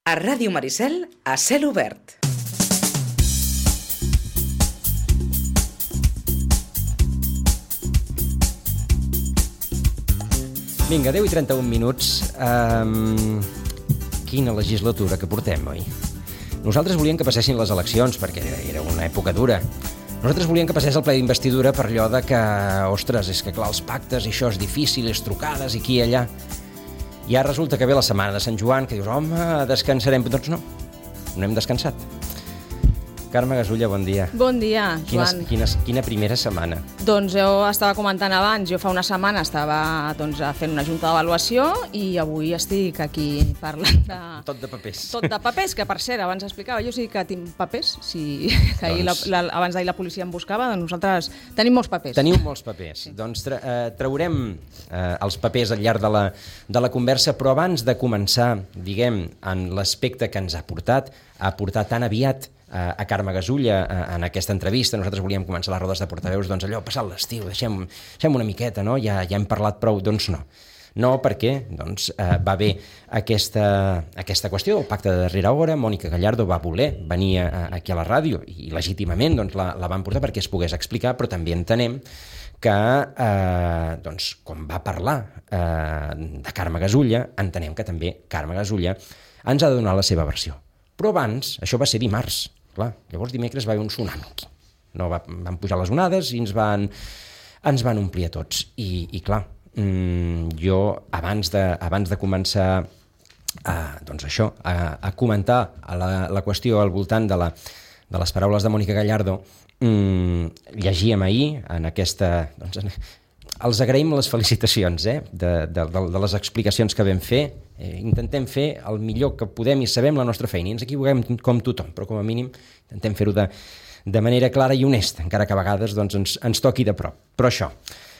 A Ràdio Maricel, a cel obert. Vinga, 10 i 31 minuts. Quina legislatura que portem, oi? Nosaltres volíem que passessin les eleccions, perquè era una època dura. Nosaltres volíem que passés el ple d'investidura per allò de que, ostres, és que clar, els pactes i això és difícil, les trucades i aquí i allà. I ara resulta que ve la setmana de Sant Joan, que dius, home, descansarem. Doncs no hem descansat. Carme Gasulla, bon dia. Bon dia, Joan. Quina primera setmana. Doncs jo estava comentant abans, jo fa una setmana estava fent una junta d'avaluació i avui estic aquí parlant de... Tot de papers. Tot de papers, que per cert, abans explicava, jo sí que tinc papers, abans d'ahir la policia em buscava, doncs nosaltres tenim molts papers. Teniu molts papers. Sí. Doncs traurem els papers al llarg de la conversa, però abans de començar, diguem, en l'aspecte que ens ha portat tan aviat a Carme Gasulla en aquesta entrevista. Nosaltres volíem començar les rodes de portaveus, doncs allò, passat l'estiu, deixem una miqueta, no? Ja hem parlat prou, doncs no. No, perquè va haver aquesta qüestió del pacte de darrera hora. Mònica Gallardo va voler venir aquí a la ràdio i legítimament la van portar perquè es pogués explicar, però també entenem que, quan va parlar de Carme Gasulla, entenem que també Carme Gasulla ens ha de donar la seva versió. Però abans, això va ser dimarts, clar, llavors dimecres va haver un tsunami aquí. No, van pujar les onades i ens van omplir a tots. I clar, jo abans de començar a comentar la qüestió al voltant de les paraules de Mònica Gallardo, llegíem ahir en aquesta... Els agraïm les felicitacions de les explicacions que vam fer. Intentem fer el millor que podem i sabem la nostra feina. I ens equivoquem com tothom, però com a mínim intentem fer-ho de manera clara i honesta, encara que a vegades ens toqui de prop. Però això,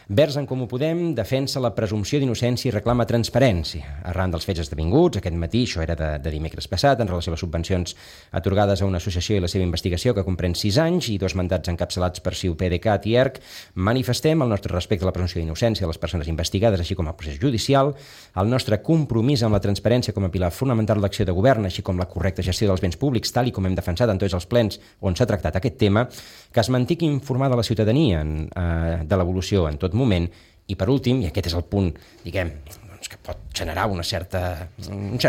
Verds en Comú Podem defensa la presumpció d'innocència i reclama transparència. Arran dels fets esdevinguts, aquest matí, això era de dimecres passat, en relació a les subvencions atorgades a una associació i la seva investigació que comprèn 6 anys i 2 mandats encapçalats per CiU, PDeCAT i ERC, manifestem el nostre respecte a la presumpció d'innocència de les persones investigades, així com al procés judicial, el nostre compromís amb la transparència com a pilar fonamental de l'acció de govern, així com la correcta gestió dels béns públics, tal i com hem defensat en tots els plens on s'ha tractat aquest tema, que es mantingui informada la ciutadania de l'evolució en tot moment, i per últim, i aquest és el punt, diguem, que pot generar un cert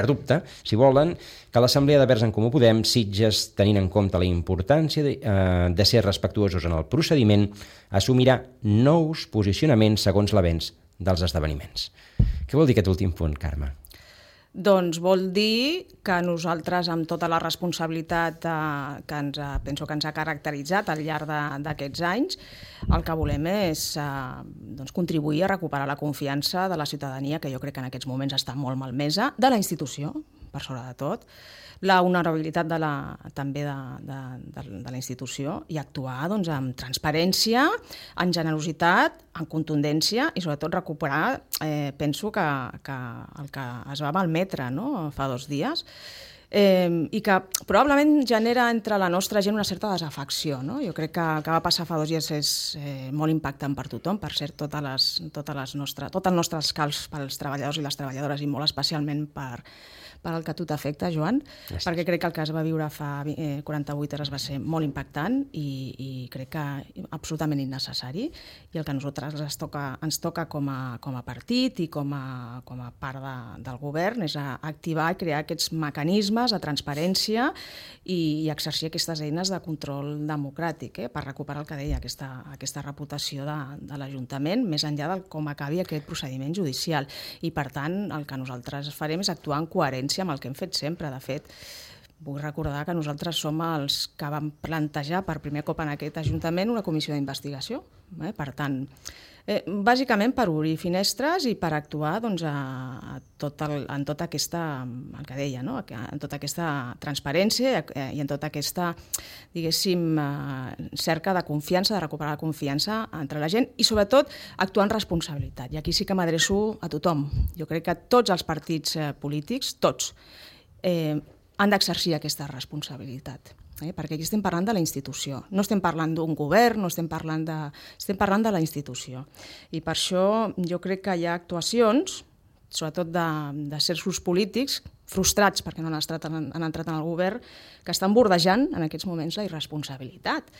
dubte, si volen, que l'Assemblea de Verds en Comú Podem, Sitges, tenint en compte la importància de ser respectuosos en el procediment, assumirà nous posicionaments segons l'avenç dels esdeveniments. Què vol dir aquest últim punt, Carme? Doncs vol dir que nosaltres, amb tota la responsabilitat que penso que ens ha caracteritzat al llarg d'aquests anys, el que volem és contribuir a recuperar la confiança de la ciutadania, que jo crec que en aquests moments està molt malmesa, de la institució, per sobre de tot, la honorabilitat també de la institució i actuar amb transparència, en generositat, en contundència i sobretot recuperar, penso que el que es va malmetre fa 2 dies i que probablement genera entre la nostra gent una certa desafecció. Jo crec que el que va passar fa 2 dies és molt impactant per tothom, per cert, tot el nostre escalf pels treballadors i les treballadores i molt especialment per el que a tu t'afecta, Joan, gràcies. Perquè crec que el que es va viure fa 48 hores va ser molt impactant i crec que absolutament innecessari, i el que a nosaltres ens toca com a partit i com a part del govern és activar i crear aquests mecanismes de transparència i exercir aquestes eines de control democràtic per recuperar el que deia, aquesta reputació de l'Ajuntament, més enllà de com acabi aquest procediment judicial. I per tant, el que nosaltres farem és actuar en coherència amb el que hem fet sempre. De fet, vull recordar que nosaltres som els que vam plantejar per primer cop en aquest Ajuntament una comissió d'investigació. Per tant, bàsicament per obrir finestres i per actuar en tota aquesta, el que deia, en tota aquesta transparència i en tota aquesta, diguéssim, cerca de confiança, de recuperar la confiança entre la gent i sobretot actuar en responsabilitat. I aquí sí que m'adreço a tothom. Jo crec que tots els partits polítics, tots, han d'exercir aquesta responsabilitat. Perquè aquí estem parlant de la institució. No estem parlant d'un govern, estem parlant de la institució. I per això jo crec que hi ha actuacions sobretot de certs polítics, frustrats perquè no han entrat en el govern, que estan bordejant en aquests moments la irresponsabilitat.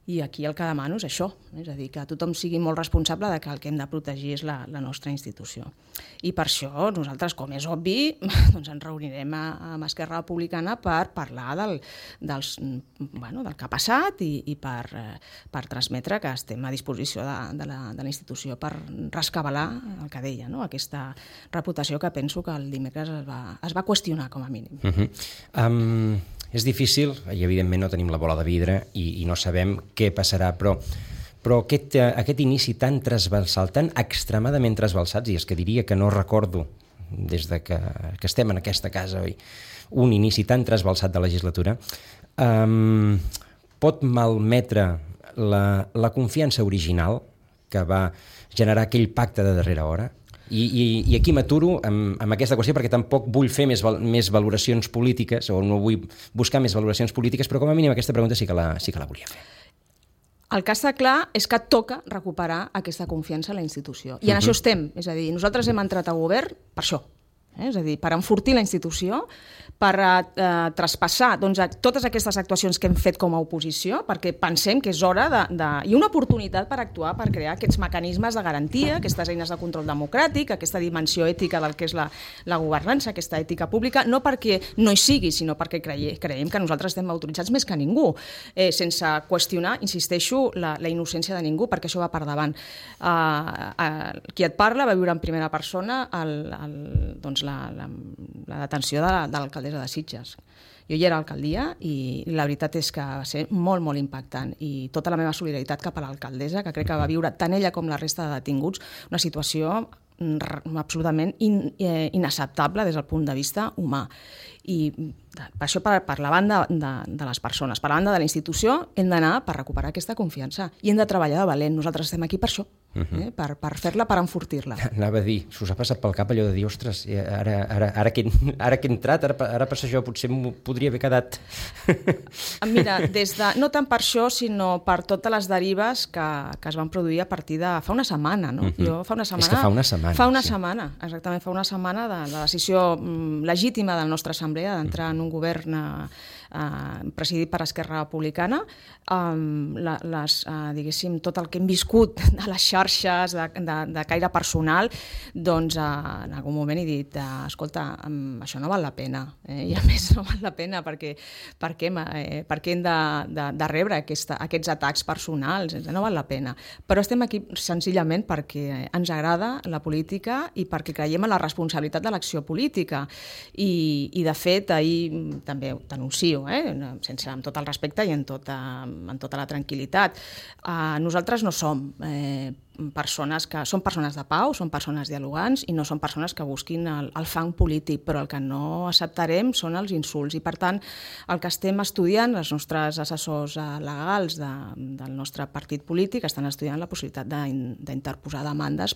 I aquí el que demano és això, és a dir, que tothom sigui molt responsable de que el que hem de protegir és la nostra institució. I per això nosaltres, com és obvi, doncs ens reunirem amb Esquerra Republicana per parlar del que ha passat i per transmetre que estem a disposició de la institució per rescabalar el que deia, no? Aquesta reputació que penso que el dimecres es va qüestionar, com a mínim. És difícil, i evidentment no tenim la bola de vidre i no sabem què passarà, però aquest inici tan transversal, tan extremadament transversal, i és que diria que no recordo, des de que estem en aquesta casa, un inici tan transversal de legislatura, pot malmetre la confiança original que va generar aquell pacte de darrera hora. I aquí m'aturo amb aquesta qüestió perquè tampoc vull fer més valoracions polítiques o no vull buscar més valoracions polítiques, però com a mínim aquesta pregunta sí que la volia fer. El que està clar és que toca recuperar aquesta confiança en la institució. I en això estem. És a dir, nosaltres hem entrat a govern per això. És a dir, per enfortir la institució, per traspassar totes aquestes actuacions que hem fet com a oposició, perquè pensem que és hora i una oportunitat per actuar, per crear aquests mecanismes de garantia, aquestes eines de control democràtic, aquesta dimensió ètica del que és la governança, aquesta ètica pública, no perquè no hi sigui, sinó perquè creiem que nosaltres estem autoritzats més que ningú, sense qüestionar, insisteixo, la innocència de ningú, perquè això va per davant. Qui et parla va viure en primera persona la detenció de l'alcaldessa de Sitges. Jo hi era a l'alcaldia i la veritat és que va ser molt, molt impactant i tota la meva solidaritat cap a l'alcaldessa, que crec que va viure tant ella com la resta de detinguts una situació absolutament inacceptable des del punt de vista humà. I per això, per la banda de les persones, per la banda de la institució, hem d'anar per recuperar aquesta confiança i hem de treballar de valent. Nosaltres estem aquí per això, per fer-la, per enfortir-la. Anava a dir, s'us ha passat pel cap allò de dir, ostres, ara que he entrat, ara per això potser m'ho podria haver quedat. Mira, no tant per això, sinó per totes les derives que es van produir a partir de fa una setmana. No? Jo fa una setmana... És que fa una setmana. Fa una setmana, exactament, fa una setmana de la decisió legítima de la nostra assemblea d'entrar en un govern presidit per Esquerra Republicana, diguéssim, tot el que hem viscut de les xarxes, de caire personal, doncs en algun moment he dit, escolta, això no val la pena, i a més no val la pena perquè hem de rebre aquests atacs personals, no val la pena. Però estem aquí senzillament perquè ens agrada la política i perquè creiem en la responsabilitat de l'acció política. I de fet, ahir també ho denuncio, amb tot el respecte i amb tota la tranquil·litat. Nosaltres no som persones de pau, són persones dialogants i no són persones que busquin el fang polític, però el que no acceptarem són els insults i per tant el que estem estudiant, els nostres assessors legals del nostre partit polític estan estudiant la possibilitat d'interposar demandes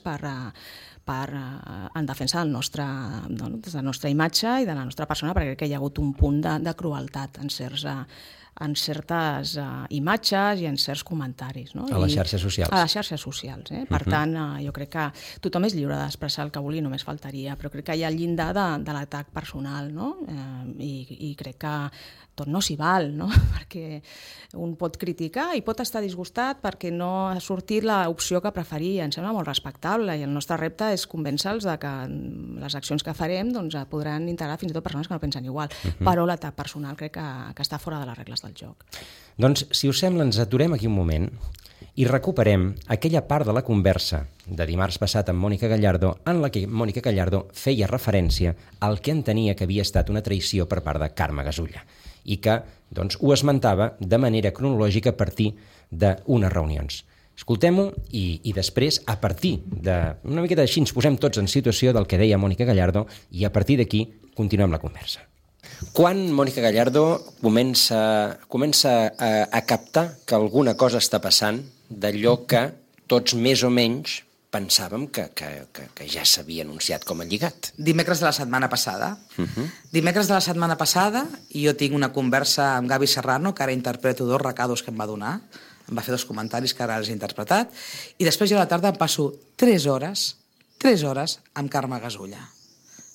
en defensa de la nostra imatge i de la nostra persona, perquè crec que hi ha hagut un punt de crueltat en certes imatges i en certs comentaris. No? A les xarxes socials. A les xarxes socials. Per tant, jo crec que tothom és lliure d'expressar el que vulgui, només faltaria, però crec que hi ha el llindar de l'atac personal, no? I crec que tot no s'hi val, no? Perquè un pot criticar i pot estar disgustat perquè no ha sortit l'opció que preferia. Em sembla molt respectable i el nostre repte és convèncer-los que les accions que farem podran integrar fins i tot persones que no pensen igual. Però l'atac personal crec que està fora de les regles del joc. Doncs, si us sembla, ens aturem aquí un moment i recuperem aquella part de la conversa de dimarts passat amb Mònica Gallardo en la que Mònica Gallardo feia referència al que entenia que havia estat una traïció per part de Carme Gasulla i que ho esmentava de manera cronològica a partir d'unes reunions. Escoltem-ho i després, a partir d'una miqueta així, ens posem tots en situació del que deia Mònica Gallardo i a partir d'aquí continuem la conversa. Quan Mònica Gallardo comença a captar que alguna cosa està passant d'allò que tots més o menys pensàvem que ja s'havia anunciat com a lligat? Dimecres de la setmana passada. Dimecres de la setmana passada jo tinc una conversa amb Gavi Serrano, que ara interpreto 2 recados que em va donar, em va fer 2 comentaris que ara els he interpretat, i després jo a la tarda em passo 3 hores 3 hores amb Carme Gasulla,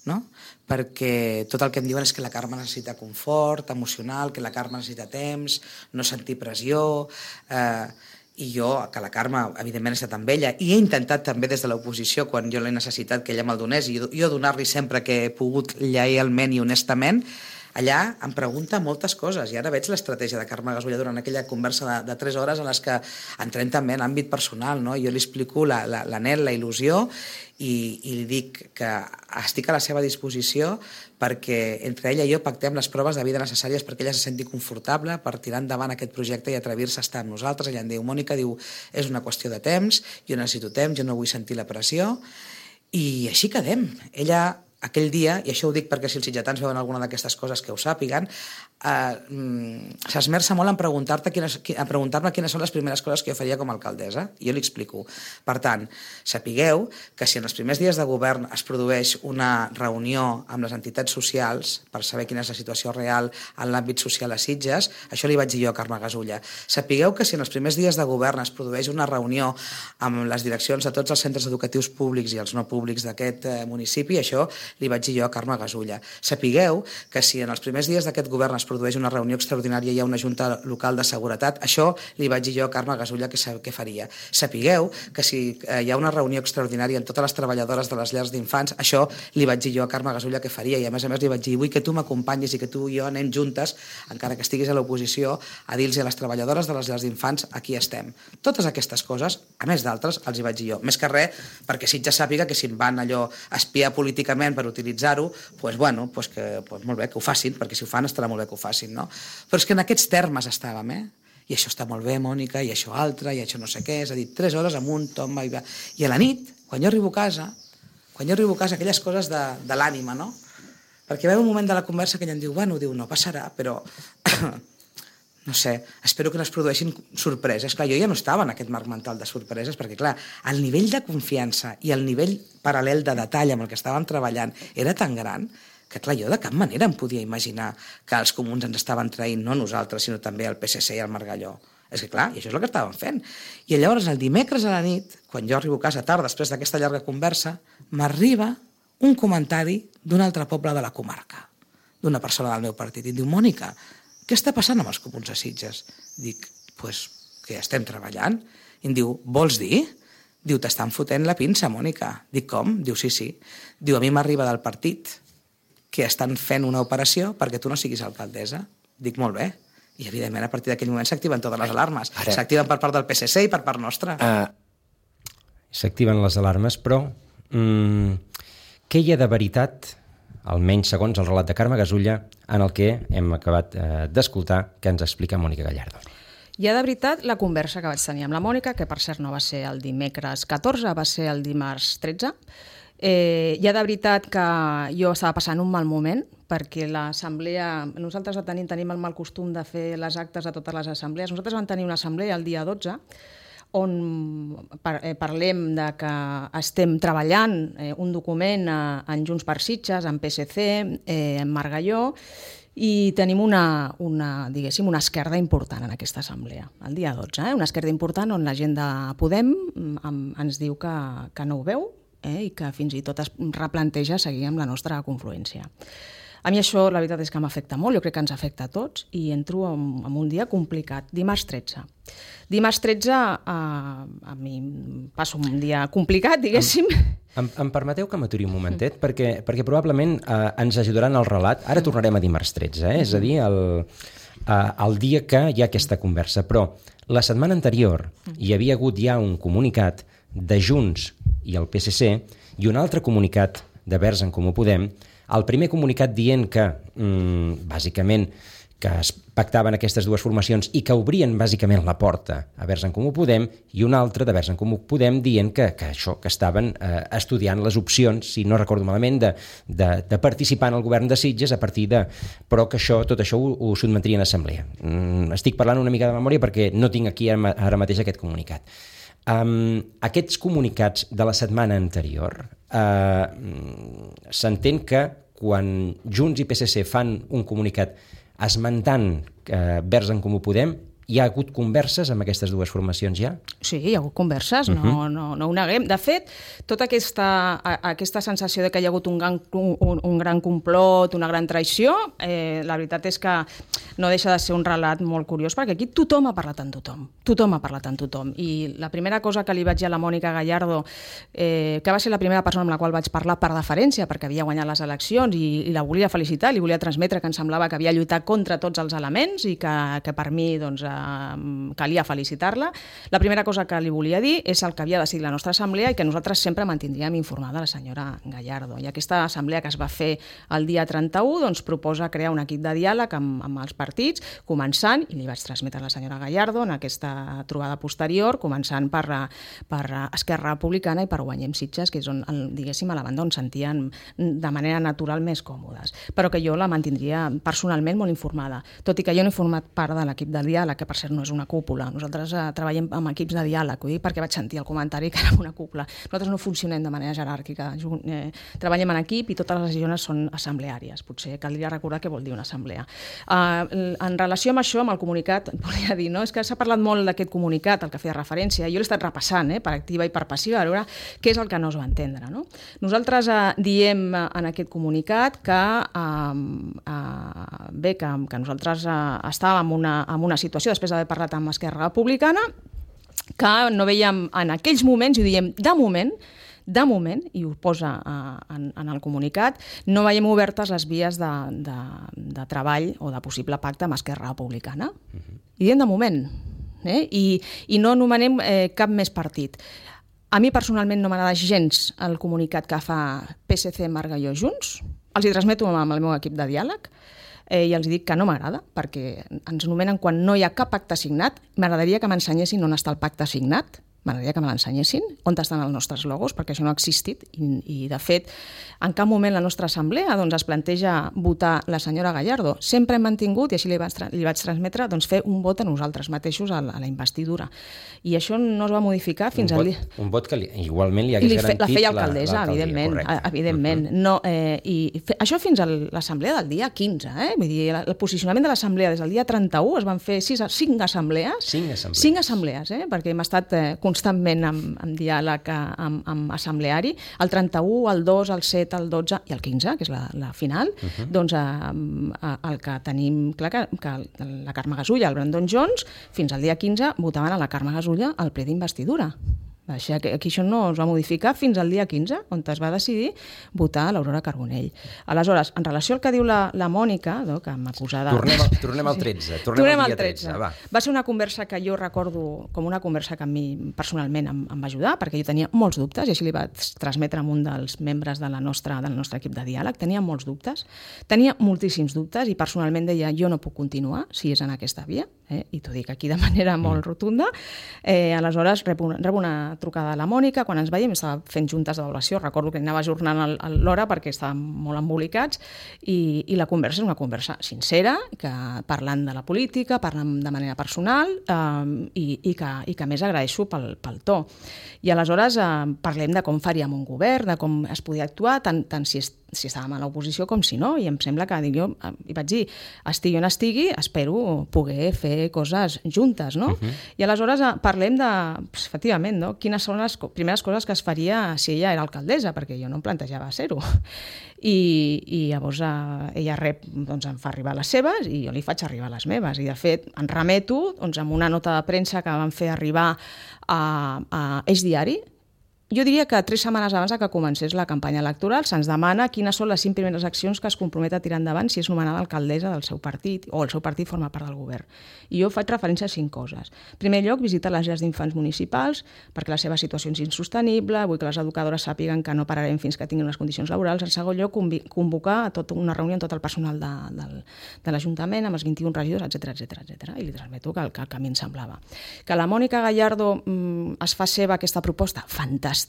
no? Perquè tot el que em diuen és que la Carme necessita confort emocional, que la Carme necessita temps, no sentir pressió, i jo, que la Carme, evidentment, he estat amb ella, i he intentat també des de l'oposició, quan jo l'he necessitat, que ella me'l donés, i jo donar-li sempre que he pogut lleialment i honestament. Allà em pregunta moltes coses, i ara veig l'estratègia de Carme Gasulla durant aquella conversa de 3 hores en les que entrem també en l'àmbit personal, no? Jo li explico l'anhel, la il·lusió, i li dic que estic a la seva disposició perquè entre ella i jo pactem les proves de vida necessàries perquè ella se senti confortable per tirar endavant aquest projecte i atrevir-se a estar amb nosaltres. Ella em diu, Mònica, és una qüestió de temps, jo necessito temps, jo no vull sentir la pressió, i així quedem. Ella, aquell dia, i això ho dic perquè si els sitgetans veuen alguna d'aquestes coses que ho sàpiguen, s'esmerça molt en preguntar-me quines són les primeres coses que jo faria com a alcaldessa, i jo li explico. Per tant, sapigueu que si en els primers dies de govern es produeix una reunió amb les entitats socials per saber quina és la situació real en l'àmbit social a Sitges, això li vaig dir jo a Carme Gasulla. Sapigueu que si en els primers dies de govern es produeix una reunió amb les direccions de tots els centres educatius públics i els no públics d'aquest municipi, això li vaig dir jo a Carme Gasulla. Sapigueu que si en els primers dies d'aquest govern es produeix una reunió extraordinària i hi ha una junta local de seguretat, això li vaig dir jo a Carme Gasulla que faria. Sapigueu que si hi ha una reunió extraordinària amb totes les treballadores de les llars d'infants, això li vaig dir jo a Carme Gasulla que faria, i a més li vaig dir, vull que tu m'acompanyis i que tu i jo anem juntes, encara que estiguis a l'oposició, a dir-los a les treballadores de les llars d'infants, aquí estem. Totes aquestes coses, a més d'altres, els hi vaig dir jo. Més que res, perquè Sitges sàpiga que si em van allò espiar políticament per utilitzar-ho, doncs bueno, molt bé, que ho facin, perquè si ho fan estarà molt bé que ho facin, no? Però és que en aquests termes estàvem, i això està molt bé, Mònica, i això altre, i això no sé què, és a dir, 3 hores amunt, tomba, i a la nit, quan jo arribo a casa, aquelles coses de l'ànima, no? Perquè ve un moment de la conversa que ella em diu, bueno, no passarà, però no sé, espero que no es produeixin sorpreses. Clar, jo ja no estava en aquest marc mental de sorpreses, perquè clar, el nivell de confiança i el nivell paral·lel de detall amb el que estàvem treballant era tan gran que clar, jo de cap manera em podia imaginar que els comuns ens estaven traint, no nosaltres, sinó també el PSC i el Margalló. És que clar, i això és el que estàvem fent. I llavors el dimecres a la nit, quan jo arribo a casa tard, després d'aquesta llarga conversa, m'arriba un comentari d'un altre poble de la comarca, d'una persona del meu partit, i em diu, Mònica, què està passant amb els comuns a Sitges? Dic, pues que estem treballant. I em diu, vols dir? Diu, t'estan fotent la pinça, Mònica. Dic, com? Diu, sí. Diu, a mi m'arriba del partit que estan fent una operació perquè tu no siguis alcaldessa. Dic, molt bé. I, evidentment, a partir d'aquell moment s'activen totes les alarmes. S'activen per part del PSC i per part nostra. S'activen les alarmes, però què hi ha de veritat, almenys segons el relat de Carme Gasulla, en el que hem acabat d'escoltar, que ens explica Mònica Gallardo? Hi ha de veritat la conversa que vaig tenir amb la Mònica, que per cert no va ser el dimecres 14, va ser el dimarts 13. Hi ha de veritat que jo estava passant un mal moment, perquè l'assemblea... Nosaltres tenim el mal costum de fer les actes de totes les assemblees. Nosaltres vam tenir una assemblea el dia 12, on parlem de que estem treballant un document en Junts per Sitges, en PSC, en Margalló, i tenim una esquerda important en aquesta assemblea, el dia 12, una esquerda important on la gent de Podem ens diu que no ho veu, i que fins i tot es replanteja seguir amb la nostra confluència. A mi això, la veritat és que m'afecta molt, jo crec que ens afecta a tots, i entro en un dia complicat, dimarts 13. Dimarts 13 a mi passo un dia complicat, diguéssim. Em permeteu que m'aturi un momentet? Perquè probablement ens ajudaran al relat. Ara tornarem a dimarts 13, és a dir, el dia que hi ha aquesta conversa. Però la setmana anterior hi havia hagut ja un comunicat de Junts i el PSC i un altre comunicat de Verds en Comú Podem, el primer comunicat dient que, bàsicament, que es pactaven aquestes dues formacions i que obrien bàsicament la porta a Verds en Comú Podem, i un altre de Verds en Comú Podem dient que estaven estudiant les opcions, si no recordo malament, de participar en el govern de Sitges a partir de... però que tot això ho sotmetrien a assemblea. Estic parlant una mica de memòria perquè no tinc aquí ara mateix aquest comunicat. Aquests comunicats de la setmana anterior s'entén que quan Junts i PSC fan un comunicat esmentant Verds en Comú Podem Hi ha hagut converses amb aquestes dues formacions ja? Sí, hi ha hagut converses, no ho neguem. De fet, tota aquesta sensació de que hi ha hagut un gran complot, una gran traïció, la veritat és que no deixa de ser un relat molt curiós, perquè aquí tothom ha parlat amb tothom. Tothom ha parlat amb tothom. I la primera cosa que li vaig dir a la Mònica Gallardo, que va ser la primera persona amb la qual vaig parlar per deferència, perquè havia guanyat les eleccions i la volia felicitar, li volia transmetre que em semblava que havia lluitat contra tots els elements i que per mi doncs, calia felicitar-la. La primera cosa que li volia dir és el que havia decidit la nostra assemblea i que nosaltres sempre mantindríem informada la senyora Gallardo. I aquesta assemblea que es va fer el dia 31 doncs, proposa crear un equip de diàleg amb els partits, començant, i li vaig transmetre a la senyora Gallardo en aquesta trobada posterior, començant per Esquerra Republicana i per Guanyem Sitges, que és on, diguéssim, a la banda on sentien de manera natural més còmodes. Però que jo la mantindria personalment molt informada, tot i que jo no he format part de l'equip de diàleg, que per cert no és una cúpula. Nosaltres treballem amb equips de diàleg, ho dic perquè vaig sentir el comentari que era una cúpula. Nosaltres no funcionem de manera jeràrquica, treballem en equip i totes les decisions són assembleàries. Potser caldria recordar què vol dir una assemblea. En relació amb això, amb el comunicat, volia dir, no? És que s'ha parlat molt d'aquest comunicat, al que feia referència, jo l'he estat repassant, per activa i per passiva, a veure què és el que no es va entendre. No? Nosaltres diem en aquest comunicat que nosaltres estàvem en una situació, després d'haver parlat amb Esquerra Republicana, que no veiem en aquells moments, i ho diem de moment, i ho posa en el comunicat, no veiem obertes les vies de treball o de possible pacte amb Esquerra Republicana. I diem de moment. I no anomenem cap més partit. A mi personalment no m'agrada gens el comunicat que fa PSC, Margalló, Junts. Els hi transmeto amb el meu equip de diàleg. I els dic que no m'agrada, perquè ens nomenen quan no hi ha cap pacte signat. M'agradaria que m'ensenyessin on està el pacte signat, m'agradaria que me l'ensenyessin, on estan els nostres logos, perquè això no ha existit, i de fet, en cap moment la nostra assemblea doncs, es planteja votar la senyora Gallardo. Sempre hem mantingut, i així li vaig transmetre, doncs, fer un vot a nosaltres mateixos a la investidura. I això no es va modificar fins al dia... Un vot que igualment li hagués garantit la feia alcaldessa, evidentment. No, això fins a l'assemblea del dia 15. Vull dir, el posicionament de l'assemblea des del dia 31 es van fer 5 assemblees. 5 assemblees, perquè hem estat constantment en diàleg amb assembleari. El 31, el 2, el 7, el 12 i el 15, que és la final, doncs el que tenim clar que la Carme Gasulla, el Brandon Jones, fins al dia 15 votaven a la Carme Gasulla al ple d'investidura. Aquí això no es va modificar fins al dia 15, on es va decidir votar a l'Aurora Carbonell. Aleshores, en relació al que diu la Mònica, que m'acusa de... Tornem al 13. Tornem al dia 13. Va ser una conversa que jo recordo com una conversa que a mi personalment em va ajudar, perquè jo tenia molts dubtes, i així li vaig transmetre a un dels membres del nostre equip de diàleg. Tenia molts dubtes, tenia moltíssims dubtes, i personalment deia, jo no puc continuar si és en aquesta via, i t'ho dic aquí de manera molt rotunda. Aleshores, rebo una trucada a la Mònica, quan ens veiem estava fent juntes d'avaluació, recordo que anava ajornant l'hora perquè estàvem molt embolicats, i la conversa és una conversa sincera, parlant de la política, parlant de manera personal, i que a més agraeixo pel to. I aleshores parlem de com faríem un govern, de com es podia actuar, tant si estàvem a l'oposició com si no, i em sembla que jo hi vaig dir, estigui on estigui, espero poder fer coses juntes, no? I aleshores parlem de, efectivament, no? Quines són les primeres coses que es faria si ella era alcaldessa, perquè jo no em plantejava ser-ho. I llavors ella em fa arribar les seves i jo li faig arribar les meves. I de fet, en remeto amb una nota de premsa que van fer arribar a Eix Diari. Jo diria que 3 setmanes abans que comencés la campanya electoral se'ns demana quines són les 5 primeres accions que es compromet a tirar endavant si és nomenada alcaldessa del seu partit o el seu partit forma part del govern. I jo faig referència a 5 coses. En primer lloc, visitar les llars d'infants municipals perquè la seva situació és insostenible, vull que les educadores sàpiguen que no pararem fins que tinguin les condicions laborals. En segon lloc, convocar una reunió amb tot el personal de l'Ajuntament, amb els 21 regidors, etc. I li transmeto que el camí em semblava. Que la Mònica Gallardo es fa seva aquesta proposta, fantàstic.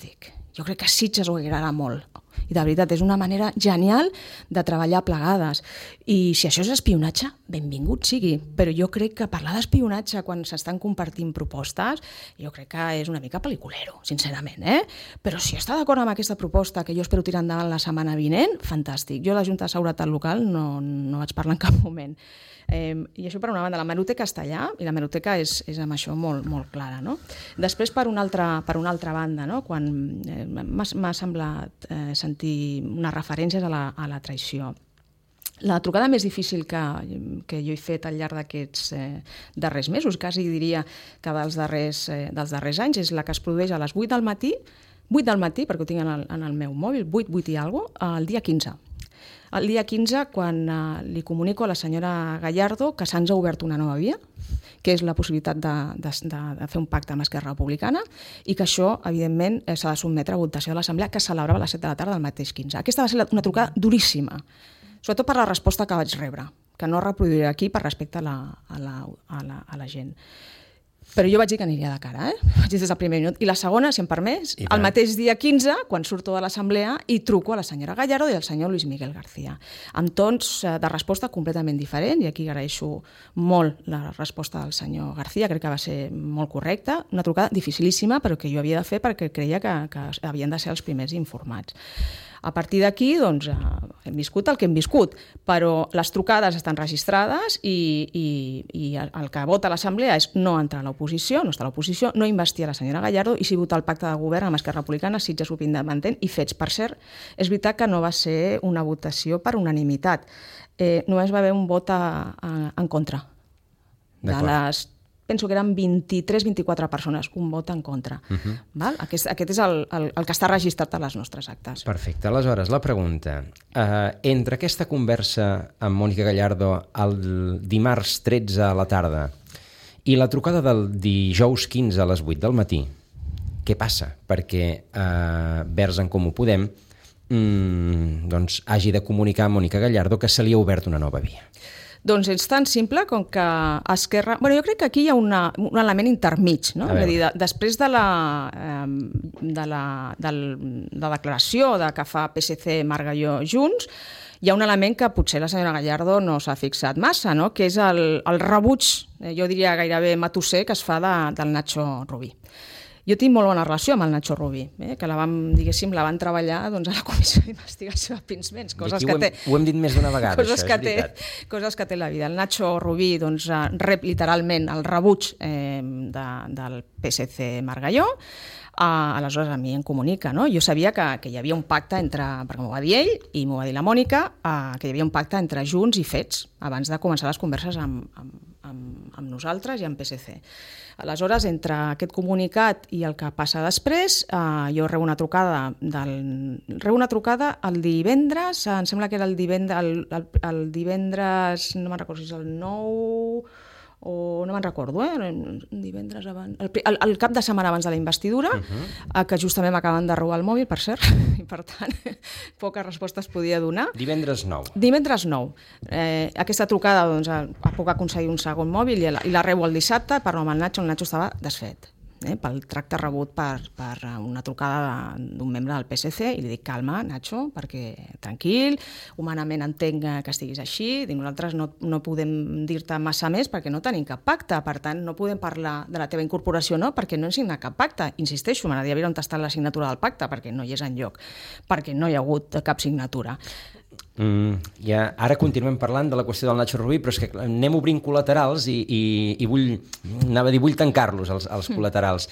Jo crec que a Sitges ho agradarà molt. I de veritat, és una manera genial de treballar plegades. I si això és espionatge, benvingut sigui. Però jo crec que parlar d'espionatge quan s'estan compartint propostes, jo crec que és una mica pel·liculero, sincerament. Però si està d'acord amb aquesta proposta, que jo espero tirar endavant la setmana vinent, fantàstic. Jo a la Junta de Seguretat Local no vaig parlar en cap moment. I això per una banda, la hemeroteca està allà i la hemeroteca és amb això molt, molt clara, no? Després per una altra banda, no? Quan m'ha semblat sentir unes referències a la traïció. La trucada més difícil que jo he fet al llarg d'aquests darrers mesos, quasi diria que dels darrers anys, és la que es produeix a les 8 del matí, perquè ho tinc en el meu mòbil, 8 i alguna cosa, el dia 15. El dia 15, quan li comunico a la senyora Gallardo que se'ns ha obert una nova via, que és la possibilitat de fer un pacte amb Esquerra Republicana, i que això, evidentment, s'ha de sotmetre a votació de l'Assemblea, que es celebrava a les 7 de la tarda del mateix 15. Aquesta va ser una trucada duríssima, sobretot per la resposta que vaig rebre, que no reproduiré aquí per respecte a la gent. Però jo vaig dir que aniria de cara, vaig dir des del primer minut. I la segona, si em permès, el mateix dia 15, quan surto de l'assemblea, i truco a la senyora Gallardo i al senyor Luis Miguel García, amb tons de resposta completament diferent, i aquí agraeixo molt la resposta del senyor García, crec que va ser molt correcta, una trucada dificilíssima, però que jo havia de fer perquè creia que havien de ser els primers informats. A partir d'aquí, doncs, hem viscut el que hem viscut, però les trucades estan registrades i el que vota l'Assemblea és no entrar a l'oposició, no estar a l'oposició, no investir a la senyora Gallardo i sí votar el pacte de govern amb Esquerra Republicana, Sitges Grup Independent i Fets. Per cert, és veritat que no va ser una votació per unanimitat. Només va haver un vot en contra. De les... Penso que eren 23-24 persones, un vot en contra. Val? Aquest és el que està registrat a les nostres actes. Perfecte. Aleshores, la pregunta. Entre aquesta conversa amb Mònica Gallardo el dimarts 13 a la tarda i la trucada del dijous 15 a les 8 del matí, què passa? Perquè Verds en Comú Podem doncs, hagi de comunicar a Mònica Gallardo que se li ha obert una nova via. Doncs és tan simple com que Esquerra... Jo crec que aquí hi ha un element intermig, no? És a dir, després de la declaració que fa PSC, Margalló, Junts, hi ha un element que potser la senyora Gallardo no s'ha fixat massa, no? Que és el rebuig, jo diria gairebé matusser, que es fa del Nacho Rubí. Jo tinc molt bona relació amb el Nacho Rubí, que la van treballar a la Comissió d'Investigació de Pinsbens, coses que té... Ho hem dit més d'una vegada, això, és veritat. Coses que té la vida. El Nacho Rubí rep literalment el rebuig del PSC Margalló, aleshores a mi em comunica, no? Jo sabia que hi havia un pacte perquè m'ho va dir ell i m'ho va dir la Mònica, que hi havia un pacte entre Junts i Fets abans de començar les converses amb nosaltres i amb PSC. Aleshores, entre aquest comunicat i el que passa després, jo rebo una trucada el divendres, em sembla que era el divendres, no me'n recordo si és el 9 o no me'n recordo, divendres abans, el cap de setmana abans de la investidura, que justament m'acaben de robar el mòbil, per cert, i per tant, poques respostes podia donar. Divendres 9. Divendres 9. Aquesta trucada, doncs, puc aconseguir un segon mòbil i la rebo el dissabte, parlo amb el Nacho estava desfet. Pel tracte rebut per una trucada d'un membre del PSC i li dic, calma, Nacho, perquè tranquil, humanament entenc que estiguis així, nosaltres no podem dir-te massa més perquè no tenim cap pacte, per tant no podem parlar de la teva incorporació, no, perquè no hem signat cap pacte. Insisteixo, m'agradaria veure on està la signatura del pacte, perquè no hi és enlloc, perquè no hi ha hagut cap signatura. Ara continuem parlant de la qüestió del Nacho Rubí, però és que anem obrint col·laterals i vull tancar-los, els col·laterals.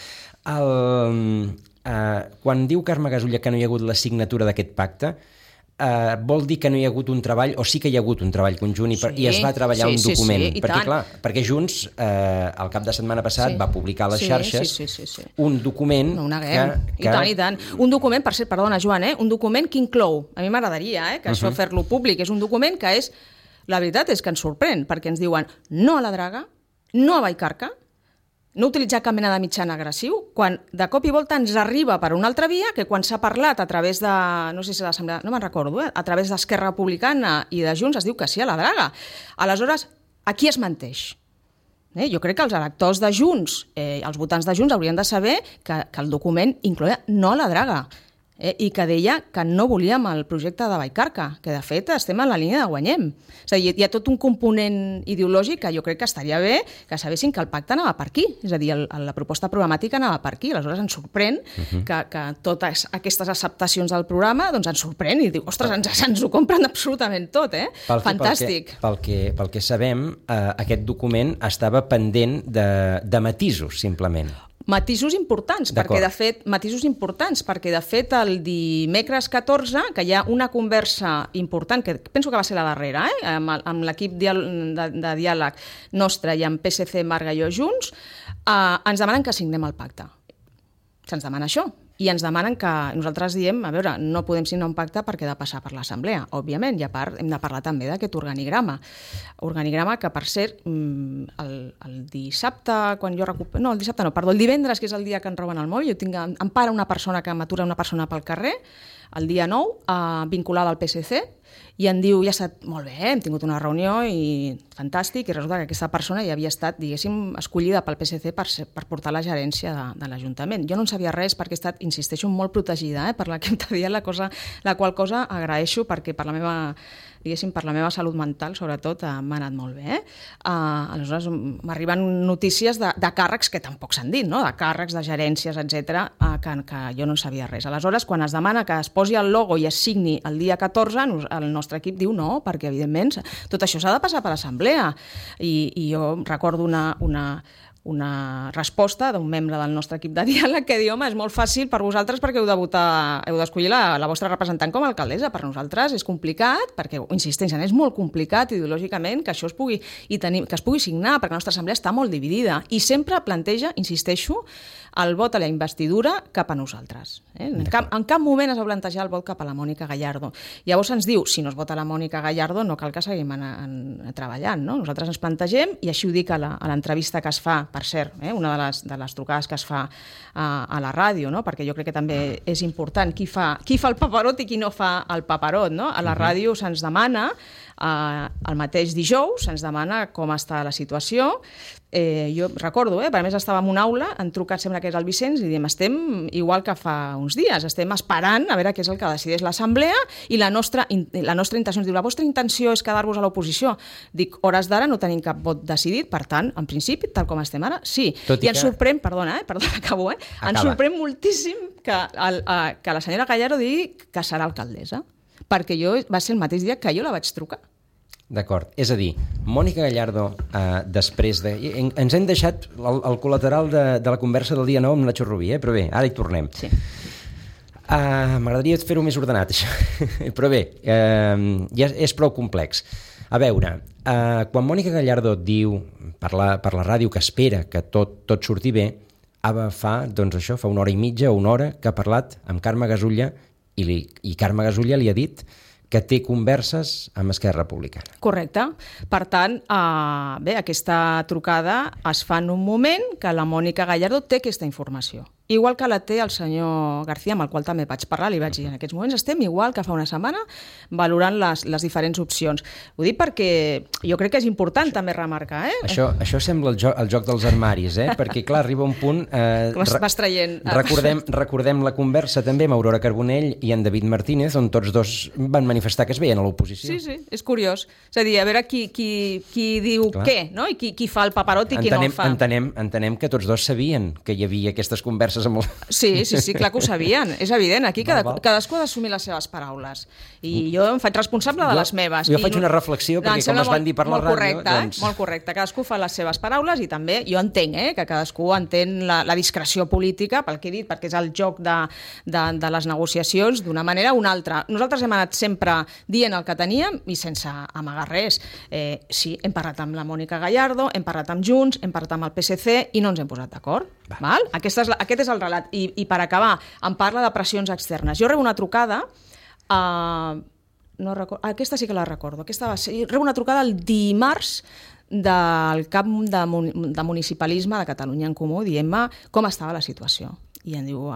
Quan diu Carme Gasulla que no hi ha hagut la signatura d'aquest pacte, vol dir que no hi ha hagut un treball, o sí que hi ha hagut un treball conjunt i es va treballar un document? Perquè Junts, el cap de setmana passat, va publicar a les xarxes un document que... I tant. Un document, per cert, perdona, Joan, un document que inclou, a mi m'agradaria que això fer-lo públic, és un document que és, la veritat és que ens sorprèn, perquè ens diuen no a la draga, no a Vallcarca, no utilitzar cap mena de mitjana agressiu, quan de cop i volta ens arriba per una altra via que quan s'ha parlat a través de, no sé si l'Assemblea, no me'n recordo, a través d'Esquerra Republicana i de Junts es diu que sí a la draga. Aleshores, a qui es menteix? Jo crec que els electors de Junts, els votants de Junts haurien de saber que el document incloïa no a la draga. i que deia que no volíem el projecte de Vallcarca, que de fet estem en la línia de guanyem. És a dir, hi ha tot un component ideològic que jo crec que estaria bé que sabessin que el pacte anava per aquí, és a dir, la proposta programàtica anava per aquí. Aleshores ens sorprèn que totes aquestes acceptacions del programa doncs ens sorprèn i diu, ostres, ens ho compren absolutament tot, Fantàstic. Pel que sabem, aquest document estava pendent de matisos, simplement. Matisos importants, perquè de fet el dimecres 14, que hi ha una conversa important, que penso que va ser la darrera, amb l'equip de diàleg nostre i amb PSC, Marga i jo junts, ens demanen que signem el pacte. Se'ns demana això. I ens demanen que nosaltres diem, a veure, no podem signar un pacte perquè ha de passar per l'Assemblea, òbviament, i a part hem de parlar també d'aquest organigrama. Organigrama que, per cert, el dissabte, quan jo recupero... No, el dissabte no, perdó, el divendres, que és el dia que ens roben el mòbil, em para una persona que m'atura una persona pel carrer, el dia 9, vinculada al PSC, i em diu, ja està molt bé, hem tingut una reunió i fantàstic, i resulta que aquesta persona ja havia estat, diguéssim, escollida pel PSC per portar la gerència de l'Ajuntament. Jo no en sabia res perquè he estat, insisteixo, molt protegida per l'equip de diàleg, la qual cosa agraeixo perquè per la meva salut mental, sobretot, m'ha anat molt bé. Aleshores, m'arriben notícies de càrrecs que tampoc s'han dit, no? De càrrecs, de gerències, etc., que jo no en sabia res. Aleshores, quan es demana que es posi el logo i es signi el dia 14, el nostre equip diu no, perquè, evidentment, tot això s'ha de passar per l'Assemblea. I jo recordo una resposta d'un membre del nostre equip de diàleg que diu, home, és molt fàcil per vosaltres perquè heu d'escollir la vostra representant com a alcaldessa. Per nosaltres és complicat, perquè, insisteixen, és molt complicat ideològicament que això es pugui signar, perquè la nostra assemblea està molt dividida i sempre planteja, insisteixo, el vot a la investidura cap a nosaltres. En cap moment es va plantejar el vot cap a la Mònica Gallardo. Llavors ens diu, si no es vota la Mònica Gallardo no cal que seguim treballant, no? Nosaltres ens plantegem, i així ho dic a l'entrevista que es fa, per cert, una de les trucades que es fa a la ràdio, no? Perquè jo crec que també és important qui fa el paperot i qui no fa el paperot, no? A la ràdio se'ns demana, el mateix dijous, se'ns demana com està la situació. Jo recordo, a més estàvem en una aula, han trucat, sembla que és el Vicenç, i diem, estem igual que fa uns dies, estem esperant a veure què és el que decideix l'Assemblea, i la nostra intenció, ens diu, la vostra intenció és quedar-vos a l'oposició. Dic, hores d'ara no tenim cap vot decidit, per tant, en principi, tal com estem ara, sí. I ens sorprèn, perdona, acabo, ens sorprèn moltíssim que la senyora Gallardo digui que serà alcaldessa, perquè va ser el mateix dia que jo la vaig trucar. D'acord, és a dir, Mònica Gallardo, després de... Ens hem deixat el col·lateral de la conversa del dia 9 amb la Xurrubí, però bé, ara hi tornem. Sí. M'agradaria fer-ho més ordenat, això. Però bé, ja és prou complex. A veure, quan Mònica Gallardo diu per la ràdio que espera que tot surti bé, fa una hora i mitja o una hora que ha parlat amb Carme Gasulla i Carme Gasulla li ha dit que té converses amb Esquerra Republicana. Correcte. Per tant, aquesta trucada es fa en un moment que la Mònica Gallardo té aquesta informació. Igual que la té el senyor García, amb el qual també vaig parlar, li vaig dir, en aquests moments estem igual que fa una setmana valorant les diferents opcions. Ho dic perquè jo crec que és important també remarcar. Això sembla el joc dels armaris, perquè clar, arriba un punt... Vas traient... Recordem la conversa també amb Aurora Carbonell i en David Martínez, on tots dos van manifestar que es veien a l'oposició. Sí, és curiós. És a dir, a veure qui diu què, no? I qui fa el paperot i qui no el fa. Entenem que tots dos sabien que hi havia aquestes converses. Sí, clar que ho sabien, és evident. Aquí cadascú ha d'assumir les seves paraules. I jo em faig responsable de les meves. Jo faig una reflexió, perquè com es van dir per la ràdio... Molt correcte, cadascú fa les seves paraules i també jo entenc que cadascú entén la discreció política, pel que he dit, perquè és el joc de les negociacions d'una manera o una altra. Nosaltres hem anat sempre dient el que teníem i sense amagar res. Sí, hem parlat amb la Mònica Gallardo, hem parlat amb Junts, hem parlat amb el PSC i no ens hem posat d'acord. Aquest és el relat. I per acabar, em parla de pressions externes. Jo rebo una trucada, aquesta sí que la recordo, rebo una trucada el dimarts del cap de municipalisme de Catalunya en Comú, dient-me com estava la situació. I em diu,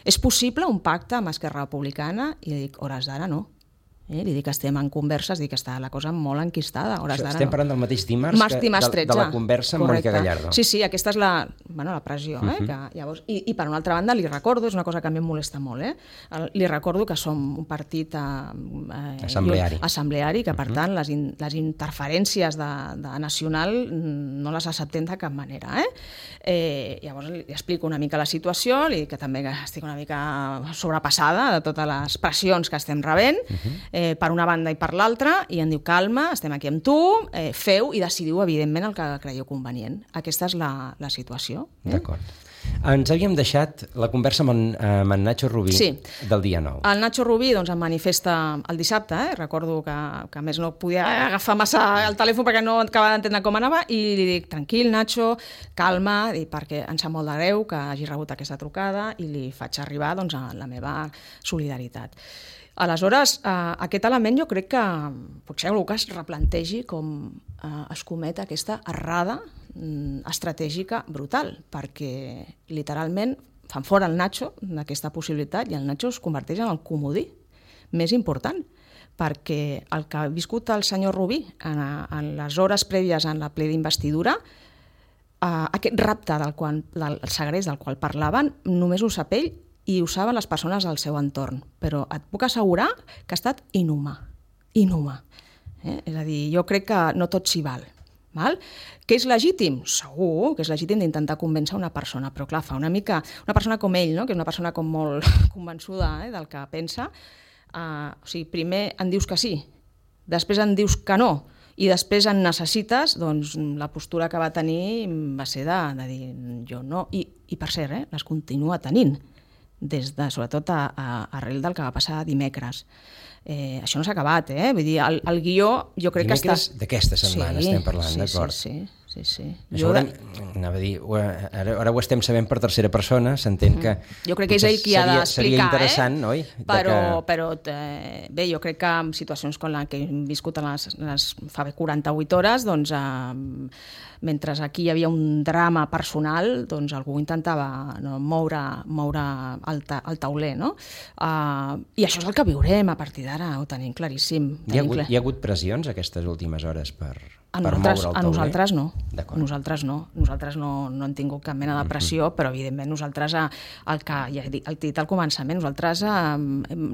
és possible un pacte amb Esquerra Republicana? I dic, hores d'ara no. Li dic que estem en converses, dic que està la cosa molt enquistada. Estem parlant del mateix dimarts de la conversa amb Mònica Gallardo. Sí, aquesta és la pressió. Que llavors, i per una altra banda li recordo, és una cosa que a mi em molesta molt, li recordo que som un partit assembleari, que per tant les interferències de nacional no les acceptem de cap manera. Llavors li explico una mica la situació, li dic que també estic una mica sobrepassada de totes les pressions que estem rebent, per una banda i per l'altra, i em diu, calma, estem aquí amb tu, feu i decidiu, evidentment, el que creieu convenient. Aquesta és la situació. D'acord. Ens havíem deixat la conversa amb en Nacho Rubí del dia 9. El Nacho Rubí em manifesta el dissabte, recordo que a més no podia agafar massa el telèfon perquè no acabava d'entendre com anava, i li dic, tranquil, Nacho, calma, perquè em sap molt de greu que hagi rebut aquesta trucada, i li faig arribar la meva solidaritat. Aleshores, aquest element jo crec que potser algú que es replantegi com es comet aquesta errada estratègica brutal, perquè literalment fan fora el Nacho d'aquesta possibilitat i el Nacho es converteix en el comodí més important, perquè el que ha viscut el senyor Rubí en les hores prèvies en la ple d'investidura, aquest rapte del segrest del qual parlaven, només ho sap ell i ho saben les persones del seu entorn, però et puc assegurar que ha estat inhumà. És a dir, jo crec que no tot s'hi val. Que és legítim? Segur que és legítim d'intentar convèncer una persona, però clar, fa una mica... Una persona com ell, que és una persona com molt convençuda del que pensa, primer en dius que sí, després en dius que no, i després en necessites, doncs la postura que va tenir va ser de dir jo no, i per cert, les continua tenint, sobretot arrel del que va passar dimecres. Això no s'ha acabat, vull dir, el guió jo crec que està... Dimecres d'aquesta setmana estem parlant, d'acord? Sí. Això anava a dir, ara ho estem sabent per tercera persona, s'entén que... Jo crec que és ell qui ha d'explicar, seria interessant, oi? Però bé, jo crec que en situacions com la que hem viscut fa 48 hores, doncs mentre aquí hi havia un drama personal, doncs algú intentava moure el tauler, no? I això és el que viurem a partir d'ara, ho tenim claríssim. Hi ha hagut pressions aquestes últimes hores per moure el tauler? A nosaltres no. Nosaltres no hem tingut cap mena de pressió, però evidentment nosaltres, el que ja he dit al començament, nosaltres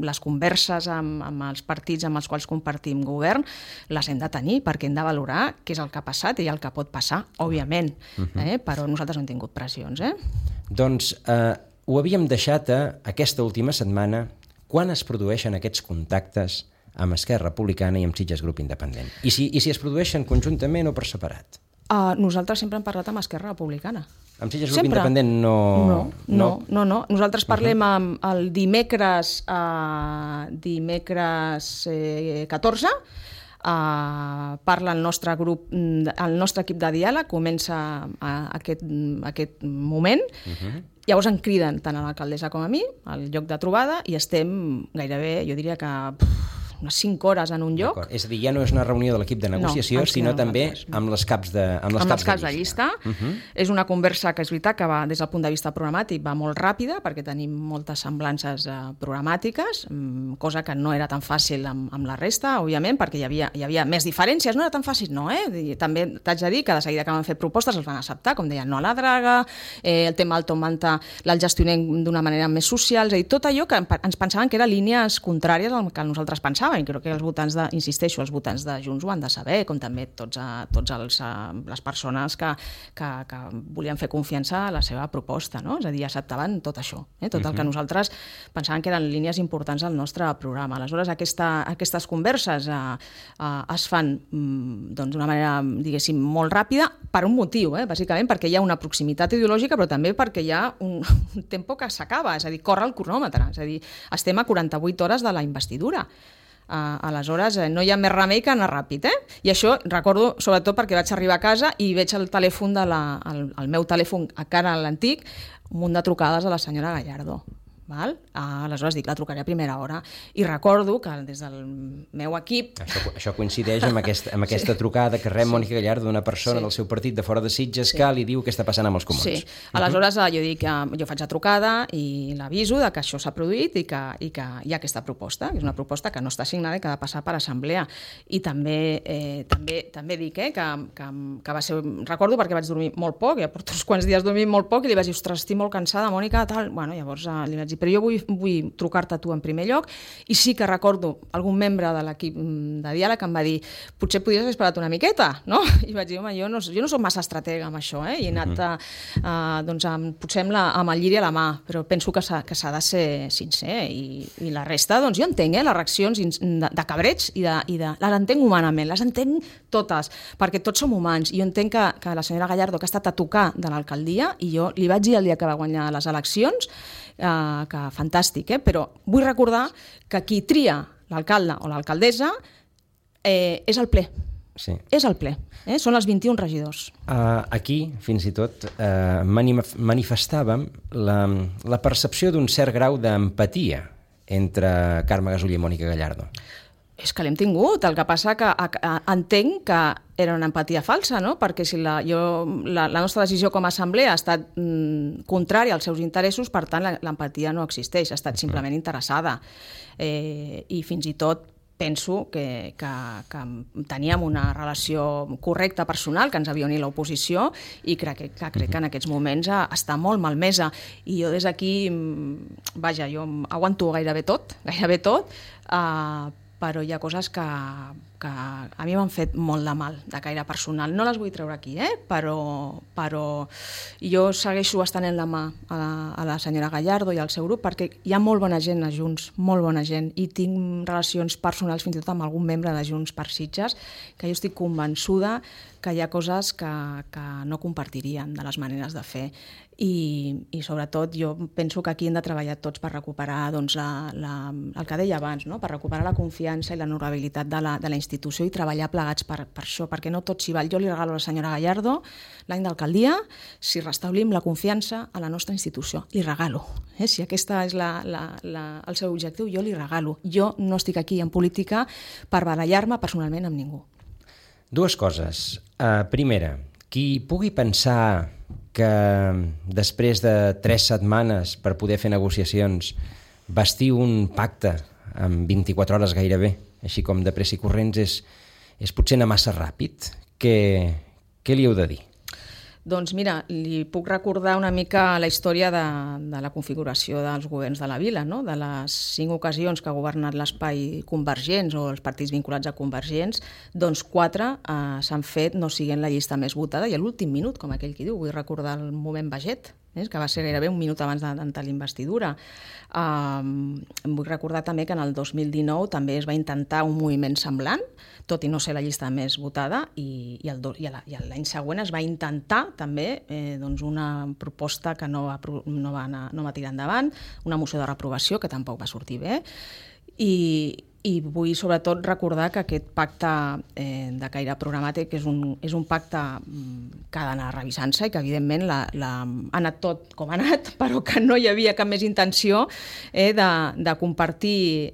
les converses amb els partits amb els quals compartim govern les hem de tenir perquè hem de valorar què és el que ha passat i el que pot passar, òbviament, però nosaltres no hem tingut pressions. Doncs ho havíem deixat aquesta última setmana, quan es produeixen aquests contactes amb Esquerra Republicana i amb Sitges Grup Independent. I si es produeixen conjuntament o per separat? Nosaltres sempre hem parlat amb Esquerra Republicana. Amb Sitges Grup Independent no? No. Nosaltres parlem el dimecres 14, parla el nostre grup, el nostre equip de diàleg, comença aquest moment, llavors em criden tant a l'alcaldessa com a mi, al lloc de trobada, i estem gairebé, jo diria que unes 5 hores en un lloc. És a dir, ja no és una reunió de l'equip de negociació, sinó també amb els caps de llista. És una conversa que és veritat que va, des del punt de vista programàtic, va molt ràpida, perquè tenim moltes semblances programàtiques, cosa que no era tan fàcil amb la resta, òbviament, perquè hi havia més diferències. No era tan fàcil, no, També t'haig de dir que de seguida que van fer propostes els van acceptar, com deien, no a la draga, el tema del Tom Manta el gestionem d'una manera més social, és a dir, tot allò que ens pensaven que eren línies contràries al que nosaltres pensàvem, i crec que els votants els votants de Junts ho han de saber, com també tots les persones que volien fer confiança a la seva proposta, no? És a dir, acceptaven tot això, tot el que nosaltres pensàvem que eren línies importants al nostre programa. Aleshores, aquestes converses es fan d'una manera, diguéssim, molt ràpida, per un motiu, bàsicament perquè hi ha una proximitat ideològica, però també perquè hi ha un tempo que s'acaba, és a dir, corre el cronòmetre, és a dir, estem a 48 hores de la investidura. Aleshores, no hi ha més remei que anar ràpid, I això recordo, sobretot perquè vaig arribar a casa i veig el telèfon el meu telèfon, encara l'antic, un munt de trucades a la senyora Gallardo. Val? Aleshores dic, la trucaré a primera hora. I recordo que des del meu equip... Això coincideix amb aquesta trucada que rep Mònica Gallardo d'una persona del seu partit de fora de Sitges que li diu què està passant amb els comuns. Sí, aleshores jo dic, jo faig la trucada i l'aviso de que això s'ha produït i que hi ha aquesta proposta, que és una proposta que no està signada i que ha de passar per assemblea. I també dic que va ser... Recordo perquè vaig dormir molt poc, ja porto uns quants dies dormint molt poc i li vaig dir, ostres, estic molt cansada, Mònica, tal... Bueno, llavors li vaig dir, però jo vull trucar-te a tu en primer lloc, i sí que recordo algun membre de l'equip de diàleg em va dir, potser podries haver esperat una miqueta, no? I vaig dir, home, jo no soc massa estratega amb això, i he anat potser amb el lliri a la mà, però penso que s'ha de ser sincer, i la resta, doncs jo entenc les reaccions de cabreig i les entenc humanament, les entenc totes, perquè tots som humans, i jo entenc que la senyora Gallardo, que ha estat a tocar de l'alcaldia, i jo li vaig dir el dia que va guanyar les eleccions, que fantàstic, però vull recordar que qui tria l'alcalde o l'alcaldessa és el ple. Sí. És el ple, són els 21 regidors. Aquí, fins i tot, manifestàvem la percepció d'un cert grau d'empatia entre Carme Gasolli i Mònica Gallardo. És que l'hem tingut, el que passa que entenc que era una empatia falsa, no? Perquè si la nostra decisió com a assemblea ha estat contrària als seus interessos, per tant l'empatia no existeix, ha estat simplement interessada. I fins i tot penso que teníem una relació correcta personal, que ens havia unit l'oposició, i crec que en aquests moments està molt malmesa. I jo des d'aquí, vaja, jo aguanto gairebé tot, però hi ha coses que a mi m'han fet molt de mal, de caire personal. No les vull treure aquí, però jo segueixo estenent la mà a la senyora Gallardo i al seu grup, perquè hi ha molt bona gent a Junts, molt bona gent, i tinc relacions personals fins i tot amb algun membre de Junts per Sitges, que jo estic convençuda que hi ha coses que no compartirien de les maneres de fer. I sobretot jo penso que aquí hem de treballar tots per recuperar el que deia abans, no? Per recuperar la confiança i l'honorabilitat de la institució i treballar plegats per això, perquè no tot s'hi val. Jo li regalo a la senyora Gallardo l'any d'alcaldia si restablim la confiança a la nostra institució. Li regalo. Si aquesta és el seu objectiu, jo li regalo. Jo no estic aquí en política per barallar-me personalment amb ningú. Dues coses. Primera, qui pugui pensar que després de 3 setmanes per poder fer negociacions bastir un pacte en 24 hores gairebé, així com de pressa i corrents, és potser anar massa ràpid. Què li heu de dir? Doncs mira, li puc recordar una mica la història de la configuració dels governs de la vila, no? De les 5 ocasions que ha governat l'espai Convergents o els partits vinculats a Convergents, doncs 4 s'han fet no siguent la llista més votada i a l'últim minut, com aquell qui diu. Vull recordar el moment Baget, que va ser gairebé un minut abans de l'investidura. Vull recordar també que en el 2019 també es va intentar un moviment semblant, tot i no ser la llista més votada, i l'any següent es va intentar també una proposta que no va tirar endavant, una moció de reprovació que tampoc va sortir bé, i vull sobretot recordar que aquest pacte de caire programàtic és un pacte que ha d'anar revisant-se i que evidentment ha anat tot com ha anat, però que no hi havia cap més intenció de compartir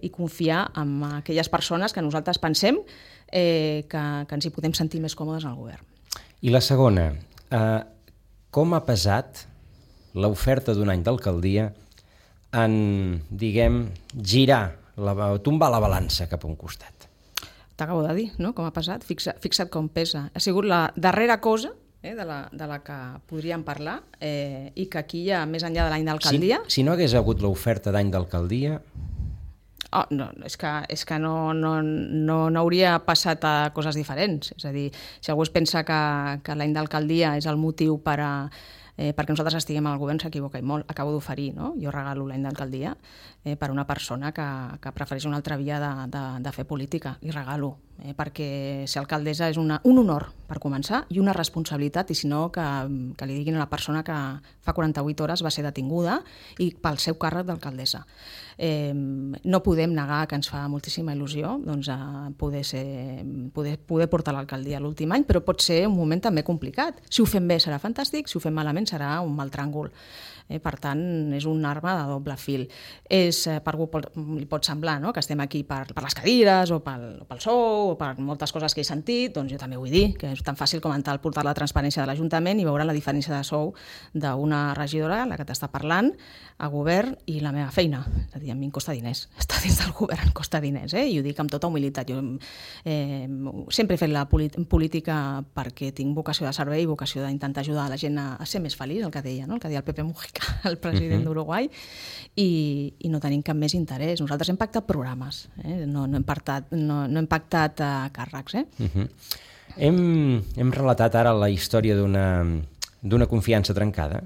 i confiar en aquelles persones que nosaltres pensem que ens hi podem sentir més còmodes al govern. I la segona, com ha pesat l'oferta d'un any d'alcaldia en, diguem, girar, tombar la balança cap a un costat? T'acabo de dir, no?, com ha pesat. Fixa't com pesa. Ha sigut la darrera cosa de la que podríem parlar i que aquí hi ha, més enllà de l'any d'alcaldia... Si no hagués hagut l'oferta d'any d'alcaldia... No, és que no hauria passat a coses diferents. És a dir, si algú es pensa que l'any d'alcaldia és el motiu perquè nosaltres estiguem al govern, s'equivoca i molt. Acabo d'oferir, no? Jo regalo l'any d'alcaldia per una persona que prefereix una altra via de fer política. Li regalo, perquè ser alcaldessa és un honor, per començar, i una responsabilitat, i si no, que li diguin a la persona que fa 48 hores va ser detinguda i pel seu càrrec d'alcaldessa. No podem negar que ens fa moltíssima il·lusió poder portar l'alcaldia a l'últim any, però pot ser un moment també complicat. Si ho fem bé serà fantàstic, si ho fem malament serà un mal tràngol. Per tant, és una arma de doble fil. Per algú li pot semblar, no?, que estem aquí per les cadires o pel sou o per moltes coses que he sentit, doncs jo també vull dir que és tan fàcil com entrar al portal de transparència de l'Ajuntament i veure la diferència de sou d'una regidora, la que t'està parlant, a govern, i la meva feina. És a dir, a mi em costa diners. Estar dins del govern em costa diners, i ho dic amb tota humilitat. Jo sempre he fet la política perquè tinc vocació de servei i vocació d'intentar ajudar la gent a ser més feliç, el que deia, no?, el que deia el Pepe Mujica, el president d'Uruguai, i no tenim cap més interès. Nosaltres hem pactat programes, no hem pactat càrrecs. Hem relatat ara la història d'una confiança trencada?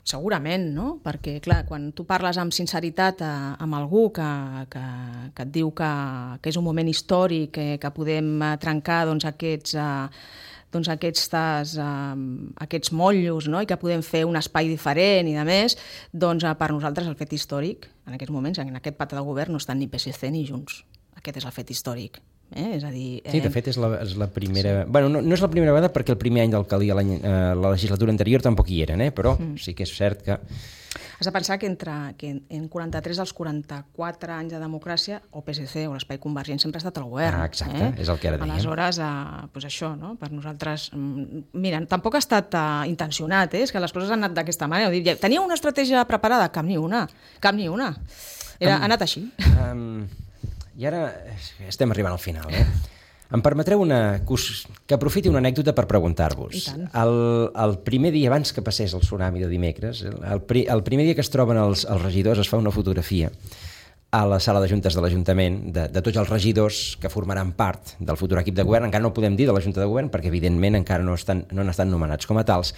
Segurament, no? Perquè, clar, quan tu parles amb sinceritat amb algú que et diu que és un moment històric, que podem trencar aquests motllos, no?, i que podem fer un espai diferent i de més, doncs per nosaltres el fet històric, en aquests moments, en aquest pacte de govern, no estan ni PSC ni Junts. Aquest és el fet històric. És a dir, sí, de fet és la primera... Sí. Bueno, no és la primera vegada perquè el primer any d'alcaldia la legislatura anterior tampoc hi eren, però sí que és cert que... Has de pensar que en 43 dels 44 anys de democràcia o PSC o l'Espai Convergent sempre ha estat al govern. Exacte, és el que ara dèiem. Aleshores, doncs això, no? Per nosaltres... Mira, tampoc ha estat intencionat, és que les coses han anat d'aquesta manera. Tenia una estratègia preparada? Cap ni una. Ha anat així. I ara estem arribant al final. Em permetreu que aprofiti una anècdota per preguntar-vos. El primer dia, abans que passés el tsunami de dimecres, el primer dia que es troben els regidors, es fa una fotografia a la sala de juntes de l'Ajuntament de tots els regidors que formaran part del futur equip de govern. Encara no podem dir de la Junta de Govern perquè, evidentment, encara no han estat nomenats com a tals.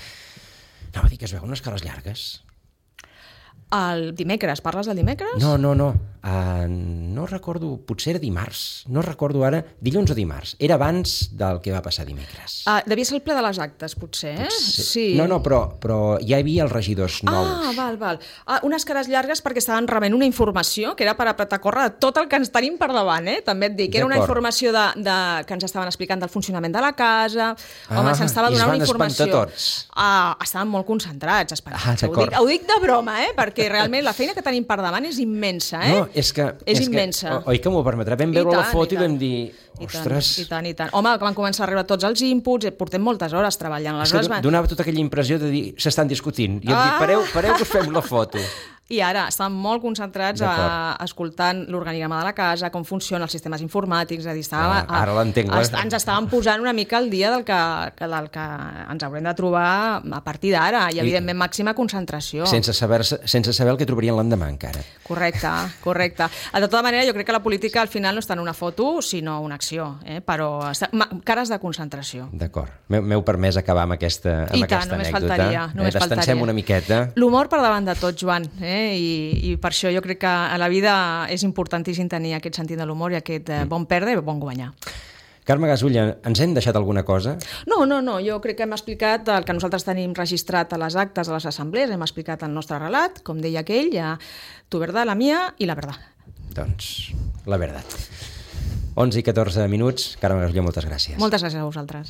Anava a dir que es veuen unes cares llargues. El dimecres, parles del dimecres? No. No recordo, potser era dimarts. No recordo ara, dilluns o dimarts. Era abans del que va passar dimecres. Devia ser el ple de les actes, potser. Sí. No, però ja hi havia els regidors nous. Val. Unes cares llargues perquè estaven rebent una informació que era per apretar a córrer de tot el que ens tenim per davant, també et dic. Era una informació que ens estaven explicant del funcionament de la casa. Home, se'ns estava donant una informació. I es van espantar tots. Estaven molt concentrats. Ho dic de broma, perquè realment la feina que tenim per davant és immensa. No, és immensa. Oi que m'ho permetrà? Vam veure la foto i vam dir... Ostres... I tant. Home, van començar a arribar tots els inputs, portem moltes hores treballant. És que donava tota aquella impressió de dir s'estan discutint. I em dic, pareu que us fem la foto. I ara estan molt concentrats escoltant l'organigrama de la casa, com funcionen els sistemes informàtics, és a dir, ara l'entenc. Ens estàvem posant una mica al dia del que ens haurem de trobar a partir d'ara, i evidentment màxima concentració. Sense saber el que trobarien l'endemà encara. Correcte. De tota manera, jo crec que la política al final no està en una foto, sinó una acció, però cares de concentració. D'acord. M'heu permès acabar amb aquesta anècdota. Només faltaria. Destansem una miqueta. L'humor per davant de tot, Joan, i per això jo crec que a la vida és importantíssim tenir aquest sentit de l'humor i aquest bon perdre i bon guanyar. Carme Gasulla, ens hem deixat alguna cosa? No, jo crec que hem explicat el que nosaltres tenim registrat a les actes de les assemblees, hem explicat el nostre relat, com deia aquell, tu verdad, la mía i la verdad. Doncs, la verdad. 11 i 14 minuts. Carme Gasulla, moltes gràcies. Moltes gràcies a vosaltres.